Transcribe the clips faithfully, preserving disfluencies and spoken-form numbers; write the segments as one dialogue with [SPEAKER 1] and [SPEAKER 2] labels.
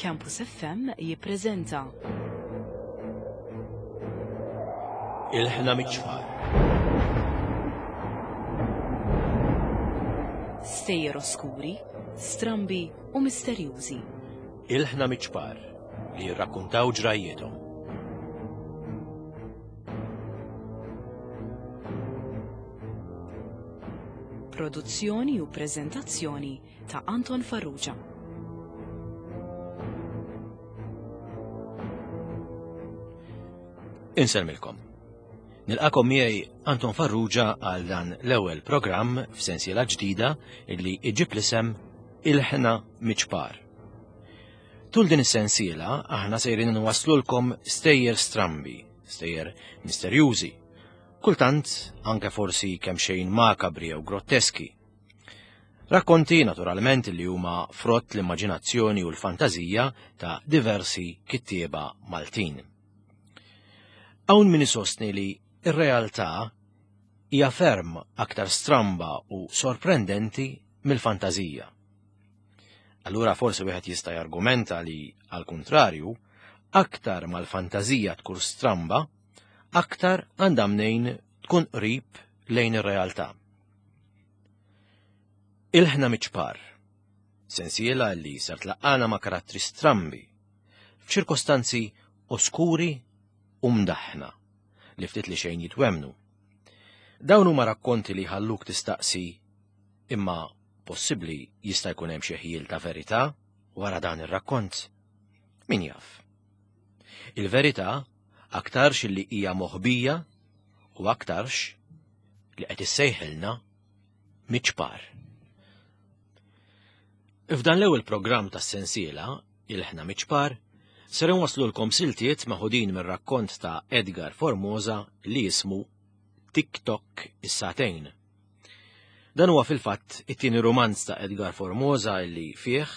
[SPEAKER 1] Campus F M jippreżenta
[SPEAKER 2] Ilħna miċ-ċfar.
[SPEAKER 1] Stejjer oskuri, strambi u misterjużi.
[SPEAKER 2] Ilħna miċ-ċfar li jirrakkuntaw ġrajjietom.
[SPEAKER 1] Produzzjoni u preżentazzjoni ta' Anton Farrugia.
[SPEAKER 2] Insellmilkom. Nilqakom miegħi Anton Farrugia għal dan l-ewwel programm f'sensiela ġdida illi iġib l-isem Ilħna Miċpar. Tul din is-sensiela aħna sejrin nwaslulkom stejjer strambi, stejjer misterjużi, kultant anke forsi kemm xejn makabri jew grotteski. Rakkonti naturalment li huma frott l-immaġinazzjoni u l-fantażija ta' diversi kittieba Maltin. Hawn min isostni li r-realtà hija ferm aktar stramba u sorprendenti mill-fantażija. Allura forsi wieħed jista' jargumenta li, għal kuntrarju, aktar mal-fantażija tkun stramba, aktar għandha mnejn tkun qrib lejn ir-realtà. Ilħna miċpar, sensiela li ser tlaqqana ma' karattri strambi, f'ċirkostanzi oskuri u mdaħħna li ftit li xejn jitwemnu. Dawn huma rakkonti li ħalluk tistaqsi imma possibbli jista' jkun hemm xi ħjiel ta' verità wara dan ir-rakkont. Min jaf? Il-verità aktarx li hija moħbija u aktarx li qed issejħilna miċpar. F'dan l-ewwel programm tas-sensiela, Ilħna Miċpar, ser inwaslulkom siltiet maħudin mir-rakkont ta' Edgar Formosa li jismu Tik-Tok is-Sagħtejn. Dan huwa fil-fatt it-tieni rumanz ta' Edgar Formosa li fih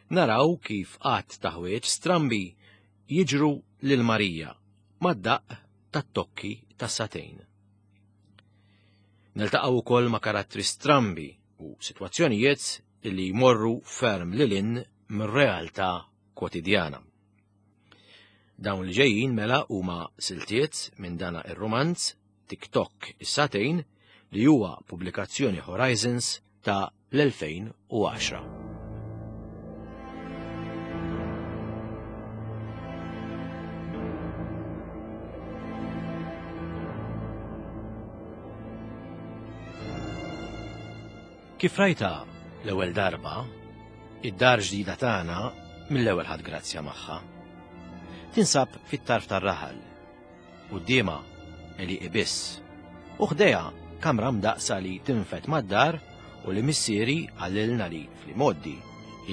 [SPEAKER 2] naraw kif qatt ta' ħwieġ strambi jiġru lil Marija mad-daqq tat-tokki tas-sagħtejn. Niltaqgħu wkoll ma' karattri strambi u sitwazzjonijiet li jmorru ferm lil hinn mir-realtà kwotidjana. Dawn li ġejjin mela huma siltiet minn dana ir-rumanz Tik-Tok is-Sagħtejn li huwa pubblikazzjoni Horizons ta' l-elfejn u għaxra. Kif rajta l-ewwel darba, id-dar ġdida tagħna mill-ewwel ħadd grazzja magħha. Tinsab fit-tarf tar-raħal, quddiemha għelieqi biss, u ħdejha kamra mdaqsa li tinfed mad-dar u li missieri għallilna li fl-imoddi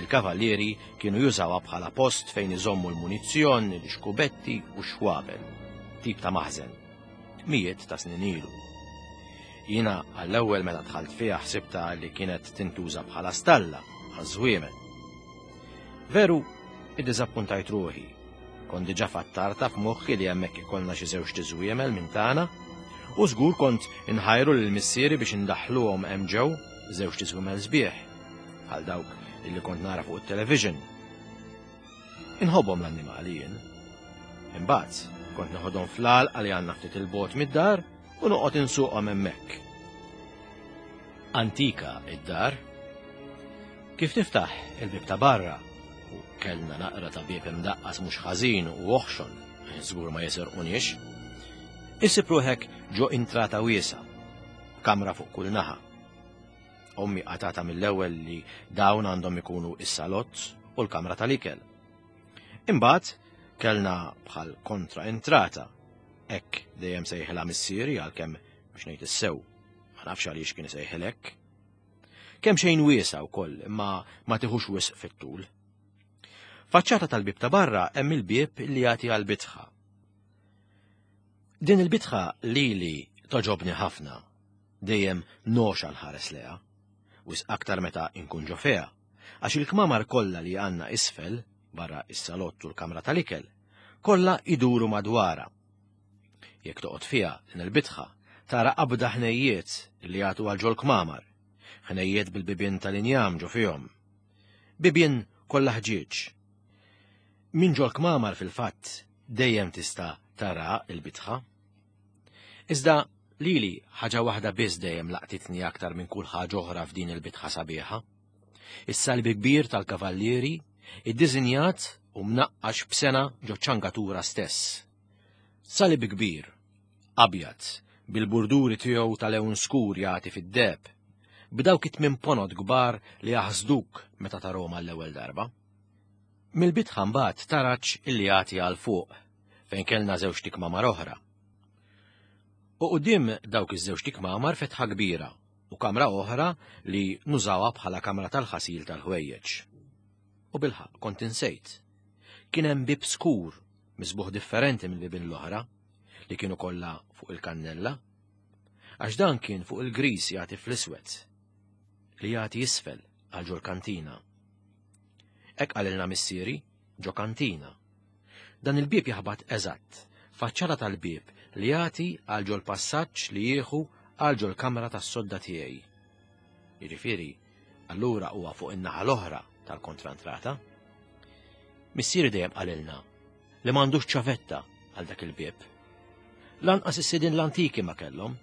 [SPEAKER 2] il-kavallieri kienu jużawha bħala post fejn iżommu l-munizzjon, l-xkubetti u x-xwabel, tip ta' maħżen, mijiet ta' snin ilu. Jiena għall-ewwel meta dħalt fiha ħsibta li kienet tintuża bħala stalla għaż-żwiemel. Veru, iddiżappuntajt ruħi. Kont diġà fattarta f'moħħi li hemmhekk ikollna xi żewġ tiżwiemel minn tagħna, u żgur kont inħajru lil missieri biex indaħħluhom hemm ġew żewġ tiżwiemel sbieħ, bħal dawk illi kont nara fuq it-television. Inħobbhom l-annimali jien. Imbagħad kont neħodhom fl-għalqa li għandna ftit il-bogħod mid-dar u noqgħod insuqhom hemmhekk. Antika id-dar. Kif tiftaħ il-bieb ta' barra, u kellna naqra ta' bieb imdaqqas mhux ħażin u oħxon, żgur ma jisirquniex, issib ruħek ġo intrata wiesgħa, b'kamra fuq kull naħa. Ommi qatata mill-ewwel li dawn għandhom ikunu is-salott u l-kamra tal-ikel. Imbagħad kellna bħal kontra intrata, hekk dejjem sejħilha missieri għalkemm biex ngħid is-sew, ma nafx għaliex kien isejħil hekk. Kemm xejn wiesgħa wkoll, imma ma tiħux wisq fit-tul. Faċċata tal-bieb ta' barra hemm il-bieb li jagħti għall-bitħa. Din il-bitħa lili toġobni ħafna, dejjem noxa nħares leha, wisq aktar meta inkun ġo fiha, għax il-kmamar kollha li għandna isfel, barra is-salott u l-kamra tal-ikel, kollha iduru madwarha. Jekk toqgħod fiha din il-bitħa, tara qabda ħnejjiet li jagħtu għal ġol-kmamar, ħnejjiet bil-bibien tal-injam ġo fihom. Bibien kollha ħġieġ. Minn ġol-kmamar fil-fatt dejjem tista' tara l-bitħa. Iżda lili ħaġa waħda biss dejjem laqtitni aktar minn kull ħaġa oħra f'din il-bitħa sabiħa. Is-salib kbir tal-kavallieri, iddisinjat u mnaqqax b'sena ġo ċangatura stess. Salib kbir, abjad, bil-burduri tiegħu tal-lewn skur jagħti fid-deheb, b'dawk it-tmien ponot kbar li jaħsduk meta tarahom għall-ewwel darba. Mill-bitħa mbagħad taraġ illi jagħti għal fuq fejn kellna żewġ tikmamar oħra. U quddiem dawk iż-żewġ tikmamar fetħa kbira u kamra oħra li nużawha bħala kamra tal-ħasil tal-ħwejjeġ. U bilħaqq kont insejt. Kien hemm bib skur misbuħ differenti mill-bibien l-oħra li kienu kollha fuq il-kannella, għax dan kien fuq il-gris jagħti fl-iswed li jagħti isfel għal ġol kantina. Hekk qalilna missieri ġo kantina. Dan il-bieb jaħbat eżatt, faċċata tal-bieb li jagħti għal ġol passaġġ li jieħu għal ġol kamra tas-sodda tiegħi. Jiġifieri, allura huwa fuq in-naħa l-oħra tal-kontrantrata. Missieri dejjem qalilna li m'għandux ċavetta għal dak il-bieb. Lanqas is-sidien l-antiki ma kellhom.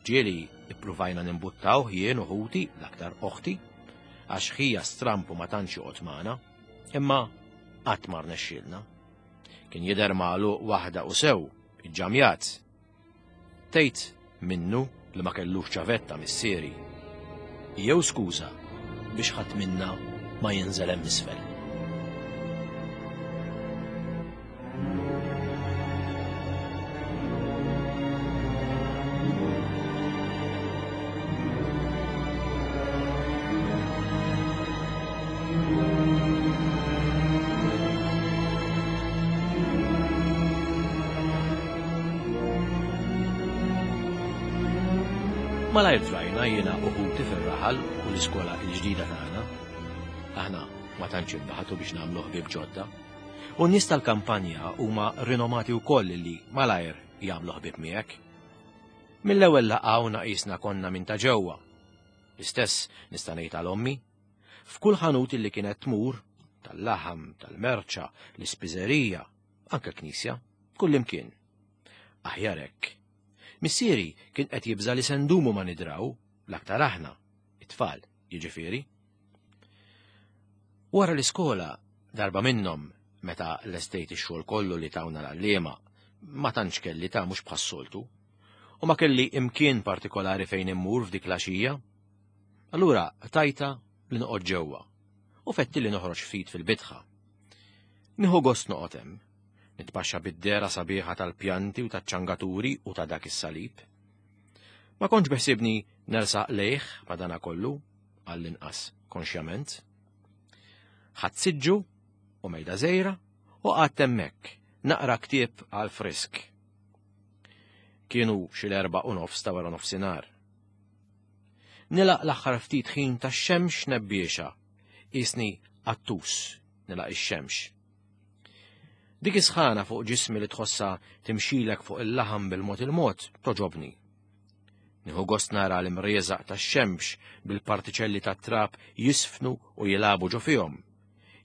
[SPEAKER 2] Ġieli ippruvajna nimbuttaw jien u ħuti, l-aktar oħti, għax ħija strampu ma tantx joqgħod magħna, imma qatt ma rnexxielna. Kien jidher magħluq waħda u sew, iġġamjat. Tgħid minnu li ma kellux ċavetta missieri. Jew skuża biex ħadd minna ma jinżel hemm isfel. Malajr drajna jiena u ħuti fir-raħal u l-iskola l-ġdida tagħna. Aħna ma tantx inbaħtu biex nagħmlu ħbieb ġodda. U n-nies tal-kampanja huma rinomati wkoll li malajr jagħmlu ħbieb miegħek. Mill-ewwel laqgħuna qisna konna minn ta' ġewwa. L-istess nista' ngħid għal ommi. F'kull ħanut li kienet tmur, tal-laħam, tal-merċa, l-ispiżerija, anke l-knisja, kullimkien. Aħjar hekk. Missieri kien qed jibża' li se ndumu ma nidraw, l-aktar aħna, it-tfal, jiġifieri. Wara l-iskola, darba minnhom, meta lestejt ix-xogħol kollu li tawna l-għalliema, ma tantx kelli ta' mhux bħas-soltu, u ma kelli imkien partikolari fejn immur f'dik l-għaxija. Allura tajta li noqgħod ġewwa u fetti li noħroġ ftit fil-bitħa. Nieħu gost noqgħod hemm, nitpaxxa bid-dera sabiħa tal-pjanti u taċ-ċangaturi u ta' dak is-salib. Ma kontx beħsibni nersaq lejh madana kollu, għall-inqas konxjament. Ħadt siġġu u mejda żgħira u qgħadt hemmhekk naqra ktieb għal frisk. Kienu xi l-erba' u nofs ta' wara nofsinhar. Nilaq l-aħħar ftit ħin tax-xemx nebbiexa, qisni qattus nilaq ix-xemx. Dik is-sħana fuq ġismi li tħossha timxilek fuq il-laħam bil-mod il-mod toġobni. Nieħu gost nara l-imrieżaq tax-xemx bil-partiċelli tat-trab jisfnu u jilagħbu ġo fihom.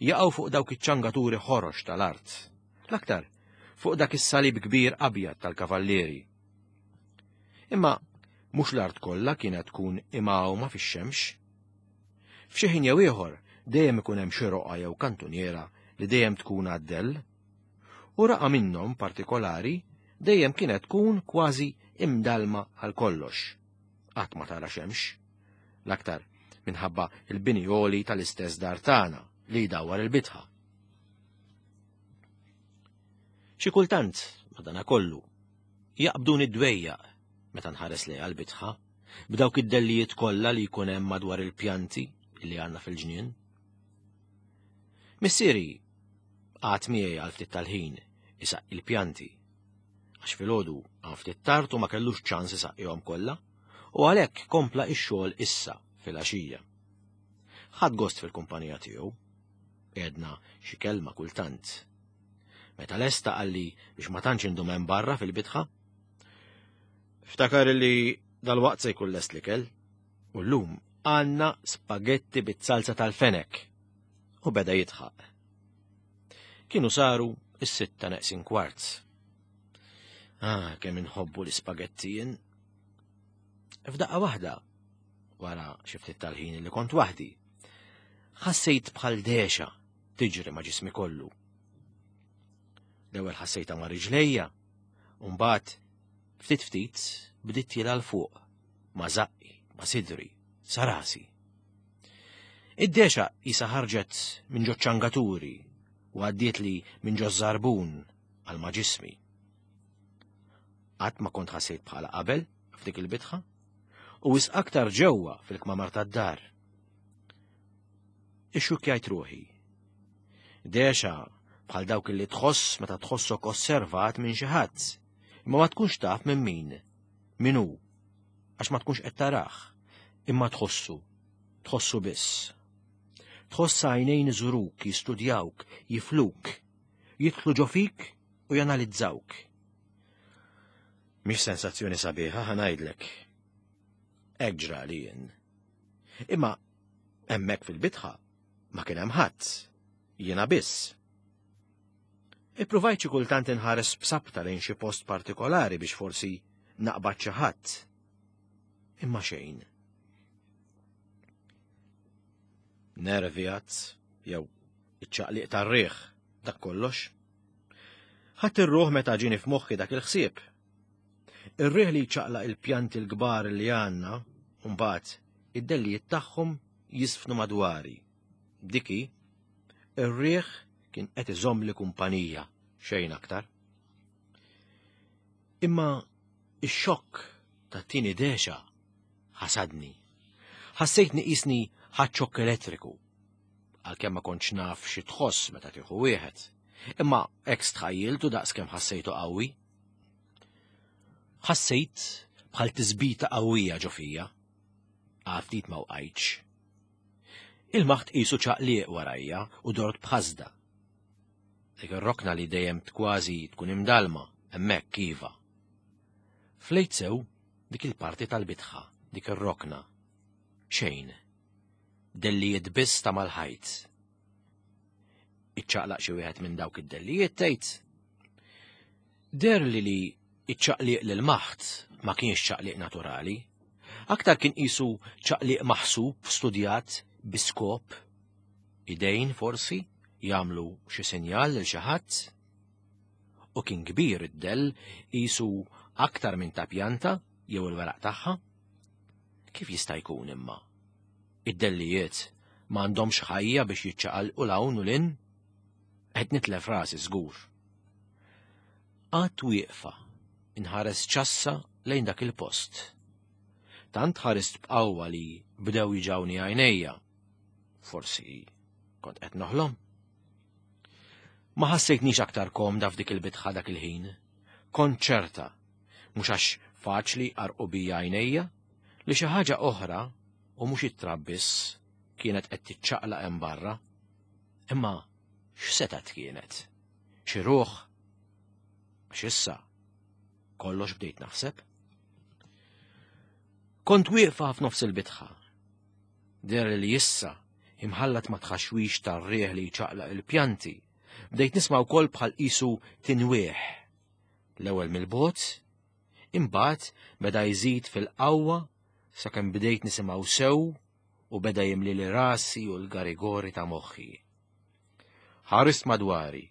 [SPEAKER 2] Jaqgħu fuq dawk iċ-ċangaturi ħorox tal-art. L-aktar fuq dak is-salib kbir abjad tal-kavallieri. Imma mhux l-art kollha kienet tkun imgħawma fix-xemx. F'xi ħin jew ieħor dejjem ikun hemm xi roqgħa jew kantuniera li dejjem tkun għad-dell. U raqa minnhom partikolari dejjem kienet tkun kważi imdalma għal kollox. Qatt ma tara xemx. L-aktar minħabba il-bini għoli tal-istess dar tagħna li jdawwar il-bitħa. Xi kultant, madanakollu, jaqbduni d-dwejjaq meta nħares lejha l-bitħa, b'dawk id-dellijiet kollha li jkun hemm madwar il-pjanti li għandna fil-ġnien. Missieri qagħad miegħi għal ftit tal-ħin isaqqi il-pjanti, għax filgħodu għan ftit tard u ma kellux ċans isaqqihom kollha, u għalhekk kompla x-xogħol issa fil-għaxija. Ħadd gost fil-kumpanija tiegħu, għedna xi kelma kultant. Meta lesta qalli biex ma tantx indum hemm barra fil-bitħa. Ftakar li dal-waqt se jkun lest l-ikel, u llum għandna spagetti bit-salsa tal-fenek. U beda jidħaq. Kienu saru is-sitta neqsin kwart. Ah, kemm inħobbu l-ispagetti jien. F'daqqa waħda, wara xi ftit tal-ħin li kont waħdi, ħassejt bħal dexa tiġri ma' ġismi kollu. L-ewwel ħassejtha ma' riġlejja, u mbagħad ftit ftit bdiet tiela' 'l fuq ma' żaqqi, ma' sidri, sa rasi. Id-dexa qisha ħarġet minn ġo ċangaturi u għaddiet li minn ġo żarbun għal ma' ġismi. Qatt ma kont ħassejt bħala qabel f'dik il-bitħa u wisq aktar ġewwa fil-kmamar tad-dar. Ixxukkjajt ruħi. Dexa bħal dawk li tħoss meta tħossok osservat minn xi ħadd, imma ma tkunx taf minn min, min hu, għax ma tkunx qed tarah, imma tħossu, tħossu biss. Tħoss għajnejn iżuruk, jistudjawk, jifluk, jidħlu ġo fik u janalizzawk. Mhix sensazzjoni sabiħa ħa ngħidlek. Hekk ġrali jien. Imma hemmhekk fil-bitħa ma kien hemm ħadd, jiena biss. Ippruvajt xi kultant inħares b'sabta lejn xi post partikolari biex forsi naqbad xi ħadd. Imma xejn. Nervi għad, jew iċ-ċaqliq tar-riħ, dak kollox. Ħadd ir-ruħ meta ġieni f'moħħi dak il-ħsieb. Ir-riħ li jċaqlaq il-pjanti l-kbar li għandna, u mbagħad id-dellijiet tagħhom jisfnu madwari. Diki, ir-riħ kien qed iżommli kumpanija, xejn aktar. Imma ix-xokk tat-tieni dexa ħasadni. Ħassejtni qisni ħadt xokk elettriku, għalkemm ma kontx naf xi tħoss meta tieħu wieħed, imma hekk stħajjiltu daqskemm ħassejtu qawwi. Ħassejt bħal tisbita qawwija ġo fija, għal ftit ma wqajtx. Il-maħt qisu ċaqliq warajja u dort b'ħasda. Dik ir-rokna li dejjem kważi tkun imdalma, hemmhekk iva. Flejt sew dik il-parti tal-bitħa, dik ir-rokna. Xejn. Dellijiet biss ta' mal-ħajt. Iċċaqlaq xi wieħed minn dawk id-dellijiet tgħid. Deher li li iċ-ċaqliq lil maħt ma kienx ċaqliq naturali. Aktar kien qisu ċaqliq maħsub, studjat, bi skop. Idejn forsi jagħmlu xi sinjal lil xi ħadd. U kien kbir id-dell qisu aktar minn ta' pjanta jew il-weraq tagħha. Kif jista' jkun imma? Id-dellijiet ma għandhomx ħajja biex jiċċaqalqu 'l hawn u 'l hinn? Qed nitlef rasi żgur. Qatt wieqfa inħares ċassa lejn dak il-post. Tant ħarist b'qawwa li bdew jiġawni għajnejja. Forsi kont qed noħlom. Ma ħassejtnix aktar komda f'dik il-bitħa dak il-ħin. Kont ċerta, mhux għax faċli qarqu bija għajnejja, li xi ħaġa oħra u mhux it-trab biss kienet qed tiċċaqlaq hemm barra. Imma x'setgħet kienet? Xi ruħ? Għax issa kollox bdejt naħseb. Kont wieqfa f'nofs il-bitħa. Deher li issa imħallat ma tħaxwix tar-riħ li jċaqlaq il-pjanti, bdejt nisma' wkoll bħal qisu tinwieħ. L-ewwel mill-bogħod, imbagħad beda jżid fil-qawwa sakemm bdejt nisimgħu sew u beda jimlili rasi u l-garigori ta' moħħi. Ħarist madwari,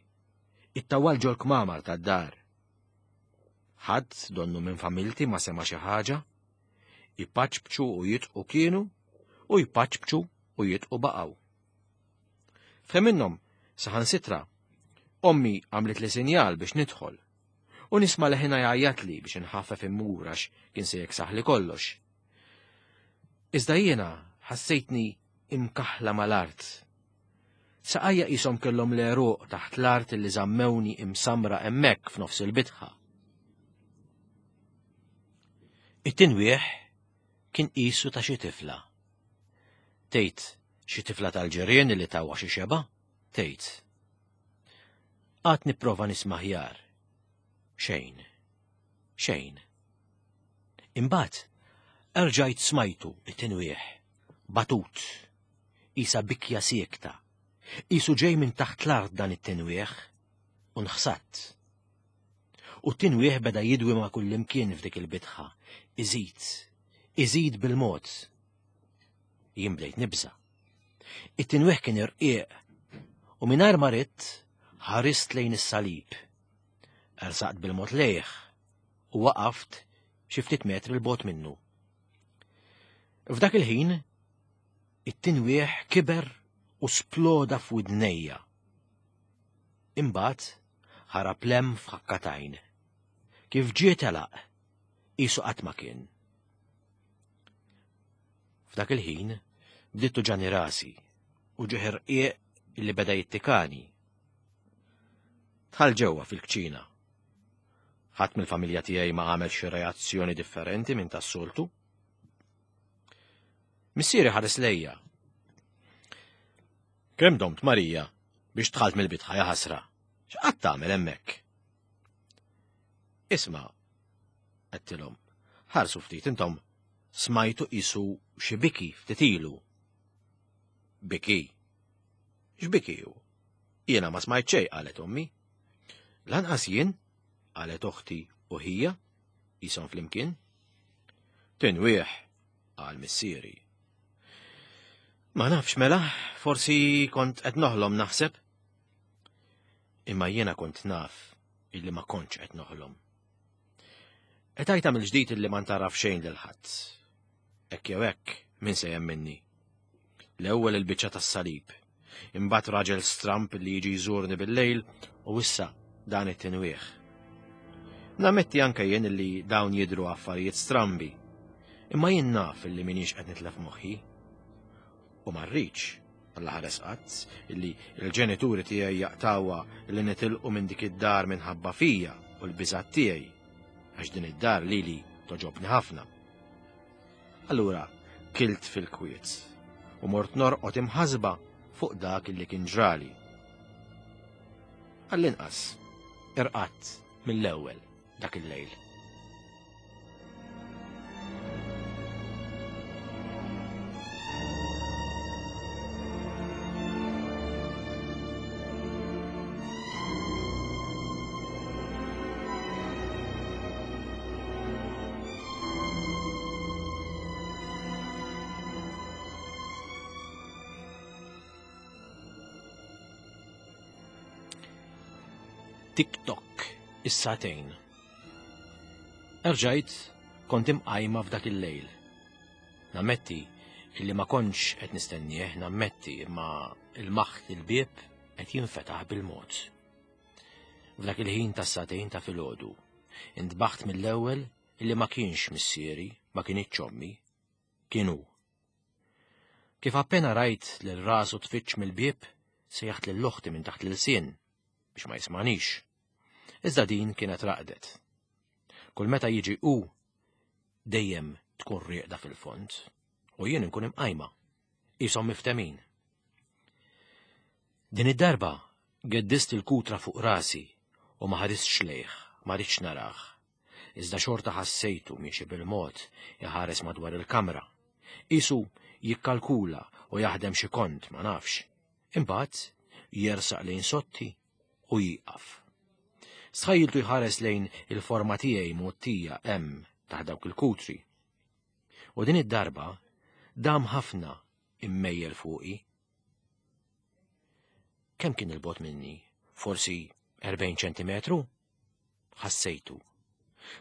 [SPEAKER 2] it-tawwal ġol-kmamar tad-dar. Ħadd donnu minn familti ma sema' xi ħaġa, jpaċpċu u jitqu kienu u jpaċpċu u jitqu baqgħu. F'ħin minnhom saħansitra, ommi għamlet li sinjal biex nidħol u nisma' leħinha jgħajjatli biex inħaffef immur għax kien se jeksaħli kollox. Iżda jiena ħassejtni imkaħla mal-art. Saqajja qishom kellhom l-għeruq taħt l-art li żammewni imsamra hemmhekk f'nofs il-bitħa. It-tinwieħ kien qisu ta' xi tifla. Tgħid xi tifla tal-ġirien li tawha xi xeba? Tgħid. Qatt nipprova nisma' ħjar. Xejn. Xejn. Imbagħad erġajt smajtu it-tinwieħ, batut, qisha bikja siekta, Qisu ġej minn taħt l-art dan it-tinwieħ u nħsatt. U t-tinwieħ beda jidwi ma' kullimkien f'dik il-bitħa, iżid, iżid bil-mod. Jien bdejt nibża'. It-tinwieħ kien irqiq u mingħajr ma ridt ħarist lejn is-salib. Ersaqt bil-mod lejh u waqaft xi ftit metri 'l bogħod minnu. F'dak il-ħin, it-tinwieħ kiber u sploda f'widnejja. Imbagħad ħarab 'l hemm f'ħakka t'għajn. Kif ġie telaq, qisu qatt ma kien. F'dak il-ħin bdiet tuġani rasi u ġieħ irqiq illi beda jittikani. Dħalt ġewwa fil-kċina. Ħadd mill-familja tiegħi ma għamel xi reazzjoni differenti minn tas-soltu. Missieri ħares lejja. Kemm domt Marija biex dħalt mill-bitħa ja ħasra? X'qgħadt tagħmel hemmhekk? Isma', għedtilhom, ħarsu ftit intom smajtu qisu xi biki ftit ilu. Biki? X'biki hu? Jiena ma smajt xejn, qalet ommi. Lanqas jien, qalet oħti u ħija, qishom flimkien. Tinwieħ, qal missieri. Ma nafx mela, forsi kont qed noħlom naħseb. Imma jiena kont naf illi ma kontx qed noħlom. Qtajtha mill-ġdid illi ma ntaraf xejn lil ħadd. Hekk jew hekk, min se jemminni? L-ewwel il-biċċa tas-salib, imbagħad raġel stramp li jiġi jżurni bil-lejl u issa dan it-tinwieħ. Nammetti anke jien illi dawn jidhru affarijiet strambi, imma jien naf illi m'iniex qed nitlef moħħi. U ma rridx, Alla ħares qatt, illi l-ġenituri tiegħi jaqtawha li nitilqu minn dik id-dar minħabba fija u l-biżgħat tiegħi, għax din id-dar lili toġobni ħafna. Allura kilt fil-kwiet u mort norqod imħasba fuq dak illi kien ġrali. Għall-inqas, irqadt mill-ewwel dak il-lejl. Tik-tok, is-sagħtejn. Erġajt kont imqajma f'dak il-lejl. Nammetti illi ma kontx qed nistennieh, nammetti imma il-maħt il-bieb qed jinfetaħ bil-mod. F'dak il-ħin tas-sagħtejn ta' filgħodu, intbaħt mill-ewwel illi ma kienx missieri, ma kienx ommi, kien hu. Kif appena rajt lil rasu tfittx mill-bieb, sejjaħt lil oħti minn taħt l-ilsien biex ma jismanix. Iżda din kienet raqdet. Kull meta jiġi hu, dejjem tkun rieqda fil-fond, u jien inkun imqajma, qishom miftemin. Din id-darba geddist il-kutra fuq rasi u ma ħaristx lejh, ma ridtx narah. Iżda xorta ħassejtu miexi bil-mod iħares madwar il-kamra. Qisu jikkalkula u jaħdem xi kont, ma nafx. Imbagħad jersaq lejn sotti u jieqaf. Stħajjiltu jħares lejn il-forma tiegħi mgħottija hemm taħt dawk il-kutri. U din id-darba dam ħafna immejjel fuqi. Kemm kien il-bogħod minni? Forsi erbgħin ċentimetru? Ħassejtu.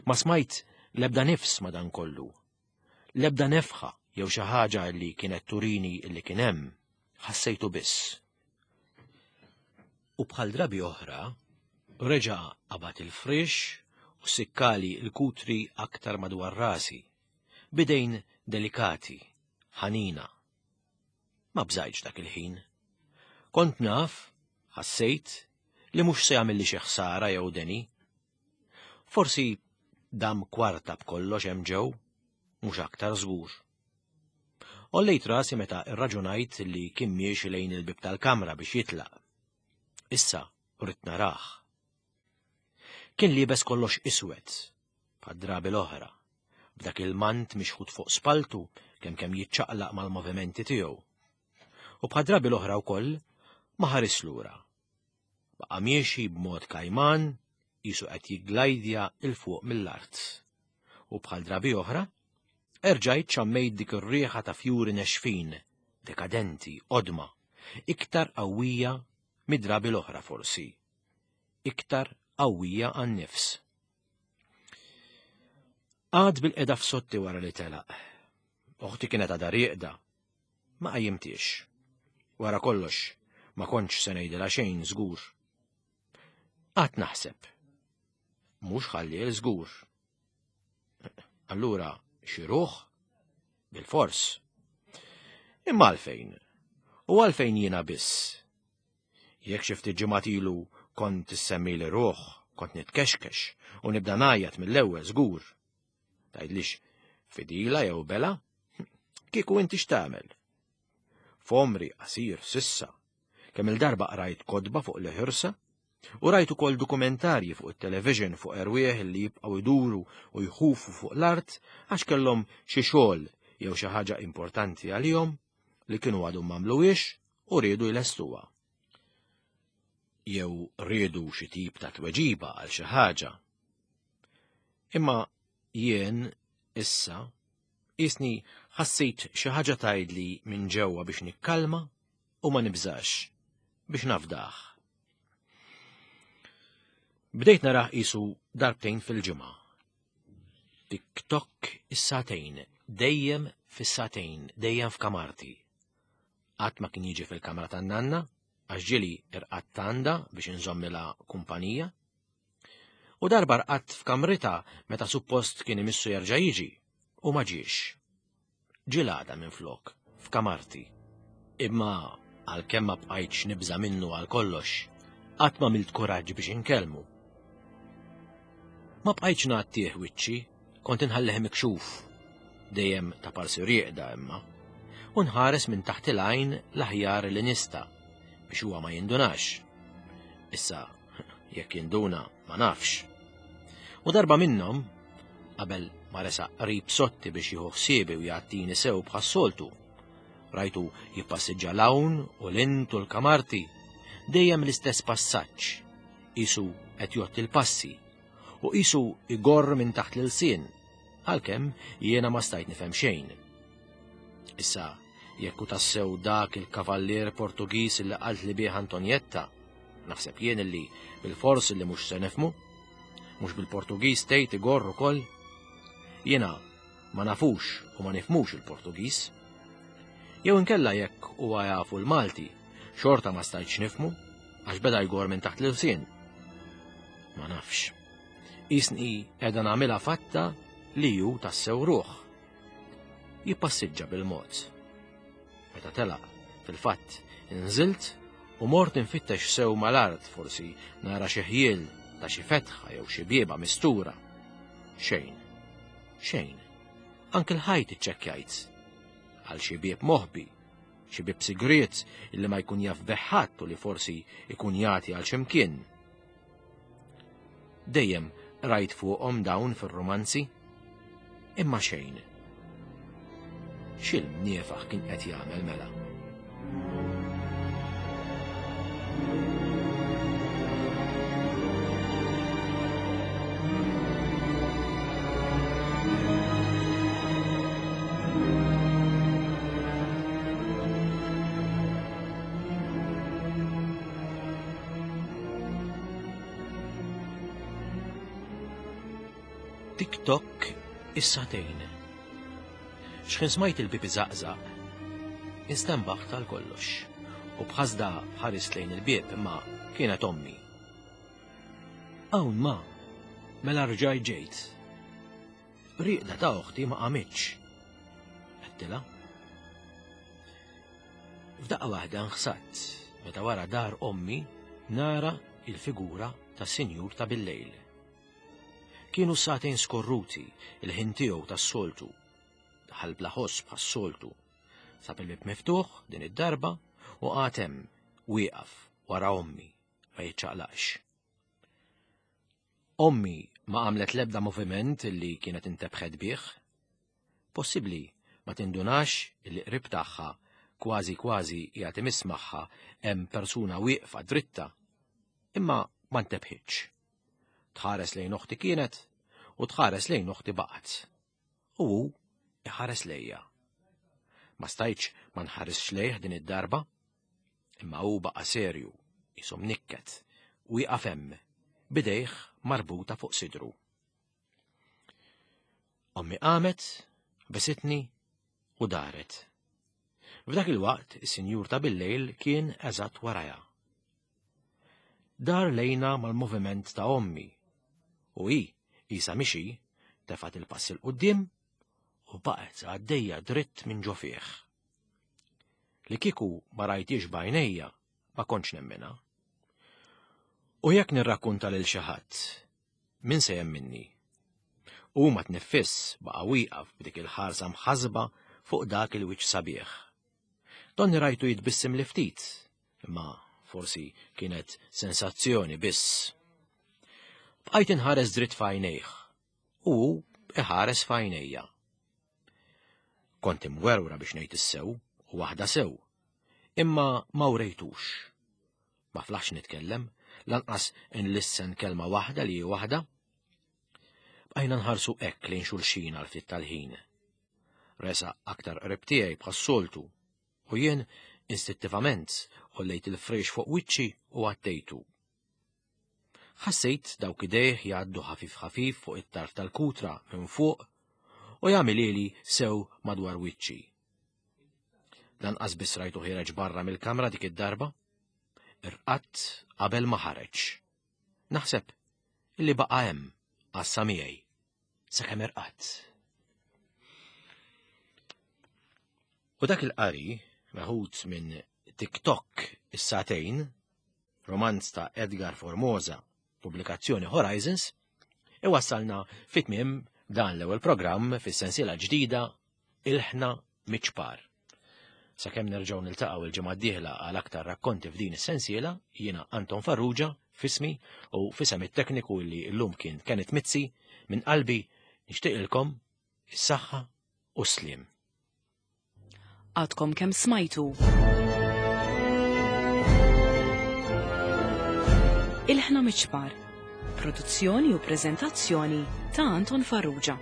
[SPEAKER 2] Ma smajt l-ebda nifs ma dan kollu. L-ebda nefħa jew xi ħaġa li kienet turini li kien hemm. Ħassejtu biss. U bħal drabi oħra, reġa' qabad il-frix u sikkali l-kutri aktar madwar rasi, bidejn delikati, ħanina. Ma bżajtx dak il-ħin. Kont naf, ħassejt, li mhux se jagħmilli xi ħsara jew deni. Forsi dam kwarta b'kollox hemm ġew, mhux aktar żgur. Ollejt rasi meta rraġunajt li kien miexi lejn il-bib tal-kamra biex jitlaq. Issa rrid narah. Kien liebes kollox iswed, bħad-drabi l-oħra, b'dak il-mant mixħut fuq spaltu kemm kemm jiċċaqlaq mal-movimenti tiegħu. U bħad-drabi l-oħra wkoll Ma ħares lura. Baqa' miexi b'mod kajman, qisu qed jiglajdja 'l fuq mill-art. U bħal drabi oħra, erġajt xammejt dik ir-riħa ta' fjuri nexfin, dekadenti, qodma, iktar qawwija mid-drabi l-oħra forsi, iktar qawwija għan-nifs. Għad bil-qeda f'sotti wara li telaq. Oħti kienet għadha rieqda. Ma qajjimtiex. Wara kollox, ma kontx se ngħidilha xejn żgur. Qatt naħseb. Mhux ħalliel żgur. Allura xi ruħ? Bil-fors. Imma għalfejn? U għalfejn jiena biss? Jekk xi ftit ġimgħat ilu kont issemmili ruħ, kont nitkexkex u nibda ngħajjat mill-ewwel żgur. Tgħidlix fidila jew bela? Kieku inti x'tagħmel? F'għomri qasir sissa, kemm il-darba qrajt kotba fuq l-ħirsa u rajt ukoll dokumentarji fuq it-television fuq erwieħ li jibqgħu jduru u jħufu fuq l-art għax kellhom xi xogħol jew xi ħaġa importanti għalihom li kienu għadhom m'għamluhiex u riedu jlestuha. Jew riedu xi tip ta' tweġiba għal xi ħaġa. Imma jien issa qisni ħassejt xi ħaġa tgħidli minn ġewwa biex nikkalma u ma nibżax, biex nafdaħ. Bdejt narah qisu darbtejn fil-ġimgħa. Tik-tok is-sagħtejn, dejjem fis-sagħtejn, dejjem f'kamarti. Qatt ma kien jiġi fil-kamra tan-nanna, għax ġieli irqadt għandha biex inżommilha kumpanija. U darba rqadt f'kamritha meta suppost kien imissu jerġa' jiġi, u ma ġiex. Ġilada minflok, f'kamarti. Imma għalkemm ma bqajtx nibża' minnu għal kollox, qatt ma għamilt kuraġġ biex inkellmu. Ma bqajtx ngħattih wiċċi, kont inħallih mikxuf, dejjem ta' parsi rieqda imma, u nħares minn taħt il-għajn l-aħjar li nista' biex huwa ma jindunax. Issa, jekk jinduna, ma nafx. U darba minnhom, qabel ma resaq qrib sotti biex jieħu ħsiebi u jgħattini sew bħas-soltu, rajtu jippassiġġa l-hawn u l-int u l-kamarti, dejjem l-istess passaġġ, qisu qed jgħodd il-passi, u qisu igorr minn taħt l-ilsien, għalkemm jiena ma stajt nifhem xejn. Issa, jekk hu tassew dak il-kavallier Portugiż li qalt li bih Antonietta, naħseb jien illi bil-fors li mhux se nifhmu, mhux bil-Portugiż tgħid igorr ukoll. Jiena ma nafux u ma nifhmux il-Portugiż. Jew inkella jekk huwa jafu l-Malti, xorta ma stajtx nifhmu għax beda jgorr minn taħt l-ilsien. Ma nafx. Qisni qiegħda nagħmilha fatta li hu tassew ruħ. Jippassiġġa bil-mod. Meta telaq, fil-fatt, inżilt u mort infittex sew mal-art forsi nara xi ħjiel ta' xi fetħa jew xi bieba mistura. Xejn. Xejn. Anke l-ħajt iċċekkjajt. Għal xi bieb moħbi, xi bieb sigriet illi ma jkun jaf bih ħadd u li forsi jkun jagħti għal xi mkien. Dejjem rajt fuqhom dawn fir-romanzi, imma xejn. X'il-mniefaħ kien qed jagħmel mela? Tik-tok is-sagħtejn. X'ħin smajt il-bieb iżaqżaq, instenbaħt għal kollox u b'ħasda ħarist lejn il-bieb imma kienet ommi. Hawn ma, mela rġajt ġejt. Rieqda ta' oħti ma qamitx. Għedtilha. F'daqqa waħda nħsadt meta wara dar ommi nara il-figura tas-sinjur ta' billejl. Kienu sagħtejn skorruti, il-ħin tiegħu tas-soltu. Daħal bla ħoss bħas-soltu. Sab il-bieb miftuħ din id-darba u qagħad hemm wieqaf wara ommi ma jiċċaqlaqx. Ommi ma għamlet l-ebda moviment illi kienet intebħet bih. Possibbli ma tindunax illi qrib tagħha kważi kważi qiegħed imiss magħha hemm persuna wieqfa dritta, imma ma ntebħitx. Tħares lejn oħti kienet u tħares lejn oħti baqgħet. U hu iħares lejja. Ma stajtx ma nħaresx lejh din id-darba, imma hu baqa' serju, qisu mnikket, wieqaf hemm, b'idejh marbuta fuq sidru. Ommi qamet, besitni u daret. F'dak il-waqt, is-sinjur ta' billejl kien eżatt warajha. Dar lejna mal-moviment ta' ommi u hi qisha mixi tefgħet il-pass 'il quddiem u baqgħet għaddejja dritt minn ġo fih. Li kieku ma rajtix b'għajnejja ma kontx nemminha. U jekk nirrakkunta lil xi ħadd, min se jemminni? U ma tniffiss baqa' wieqaf b'dik il-ħarsa mħasba fuq dak il-wiċċ sabiħ. Donni rajtu jitbissim li ftit, imma forsi kienet sensazzjoni biss. Bqajt inħares dritt f'għajnejh u hu iħares f'għajnejja. Kont imwerwra biex ngħid is-sew u waħda sew, imma ma wrejtux. Ma flaħx nitkellem, lanqas inlissen kelma waħda li hi waħda. Bqajna nħarsu hekk lejn xulxin għal ftit tal-ħin. Resaq aktar qrib tiegħi bħas-soltu u jien istintivament għollejt il-friex fuq wiċċi u għattejtu. Ħassejt dawk idejh jgħaddu ħafif ħafif fuq it-tarf tal-kutra minn fuq u jagħmilili sew madwar wiċċi. Lanqas biss rajtu ħiereġ barra mill-kamra dik id-darba. Irqadt qabel ma ħareġ. Naħseb illi baqa' hemm għassa miegħi sakemm irqadt. U dak il-qari meħud minn TikTok is-sagħtejn, romanz ta' Edgar Formosa, pubblikazzjoni Horizons, iwassalna fit-tmiem dan l-ewwel programm fis-sensiela ġdida Ilħna Miċ-Ċpar. Sakemm nerġgħu niltaqgħu il-ġimgħa d-dieħla għal aktar rakkonti f'din is-sensiela, jiena Anton Farrugia f'ismi u f'isem it-tekniku li llum kien Kenneth Mizzi, minn qalbi nixtieqilkom is-saħħa u s-sliem.
[SPEAKER 1] Għadkom kemm smajtu. Ilħna Miċ-Ċpar. Produzzjoni u preżentazzjoni ta' Anton Farrugia.